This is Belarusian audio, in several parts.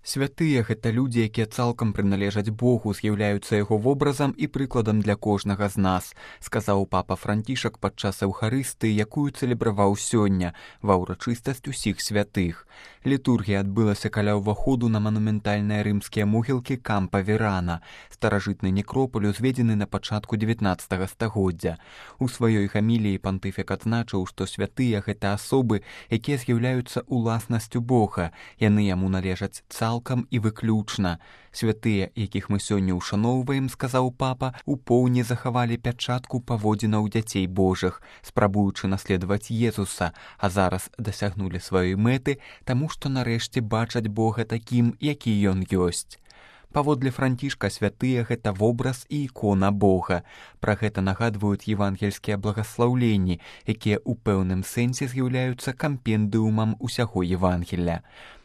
Святыя — гэта людзі, якія цалкам прыналежаць Богу, з'яўляюцца яго вобразам і прыкладам для кожнага з нас, сказаў папа Францішак падчас эўхарыстыі, якую цэлебраваў сёння ва ўрачыстасць усіх святых. Літургія адбылася каля ўваходу на манументальныя рымскія могілкі Кампа Верана, старажытны некропаль, узведзены на пачатку 19 стагоддзя. У сваёй гаміліі пантыфік адзначыў, што святыя — гэта асобы, якія з'яўляюцца уласнасцю Бога, яны яму належаць цалкам і выключна. Святыя, якіх мы сёння ўшаноўваем, сказаў папа, у поўні захавалі пячатку паводзінаў дзяцей Божых, спрабуючы наследаваць Езуса, а зараз дасягнулі сваёй мэты, таму што нарэшце бачаць Бога такім, які ён ёсць. Паводле Францішка, святыя — гэта вобраз і ікона Бога. Пра гэта нагадваюць евангельскія благаслаўленні, якія ў пэўным сэнсе з'яўляюцца кампендыумам усяго Евангелля.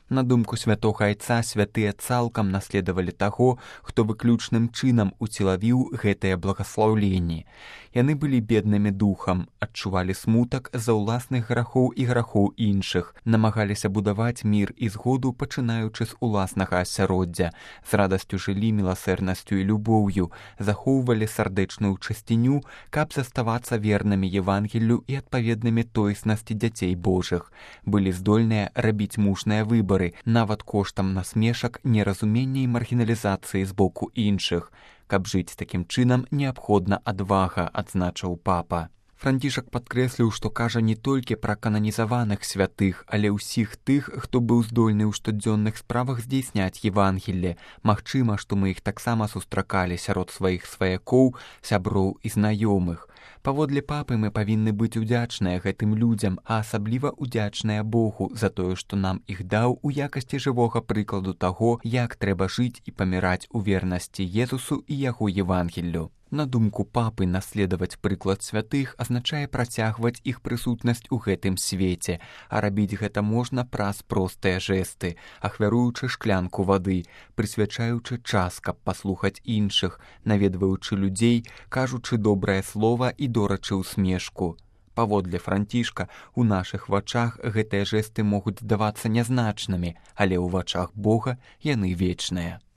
На думку святога айца, святыя цалкам наследавалі таго, хто выключным чынам уцелавіў гэтыя благаслаўленні. Яны былі беднымі духам, адчувалі смутак за ўласных грахоў і грахоў іншых, намагаліся будаваць мір і згоду, пачынаючы з уласнага асяроддзя, з радасцю жылі міласэрнасцю і любоўю, захоўвалі сардэчную чысціню, каб заставацца вернымі Евангеллю і адпаведнымі тоеснасці дзяцей Божых, былі здольныя рабіць мужныя выбары, нават коштам насмешак, неразумення і маргіналізацыі з боку іншых. Каб жыць такім чынам, неабходна адвага, адзначыў папа. Францішак падкрэсліў, што кажа не толькі пра кананізаваных святых, але ўсіх тых, хто быў здольны ў штодзённых справах здзейсняць Евангелле. Магчыма, што мы іх таксама сустракалі сярод сваіх сваякоў, сяброў і знаёмых. Паводле папы мы павінны быць удзячныя гэтым людзям, а асабліва удзячныя Богу за тое, што нам іх даў у якасці жывога прыкладу таго, як трэба жыць і паміраць у вернасці Езусу і яго Евангеллю. На думку папы, наследаваць прыклад святых азначае працягваць іх прысутнасць у гэтым свеце, а рабіць гэта можна праз простыя жэсты, ахвяруючы шклянку вады, прысвячаючы час, каб паслухаць іншых, наведваючы людзей, кажучы добрае слова і дорачы ўсмешку. Паводле Францішка, у нашых вачах гэтыя жэсты могуць здавацца нязначнымі, але ў вачах Бога яны вечныя.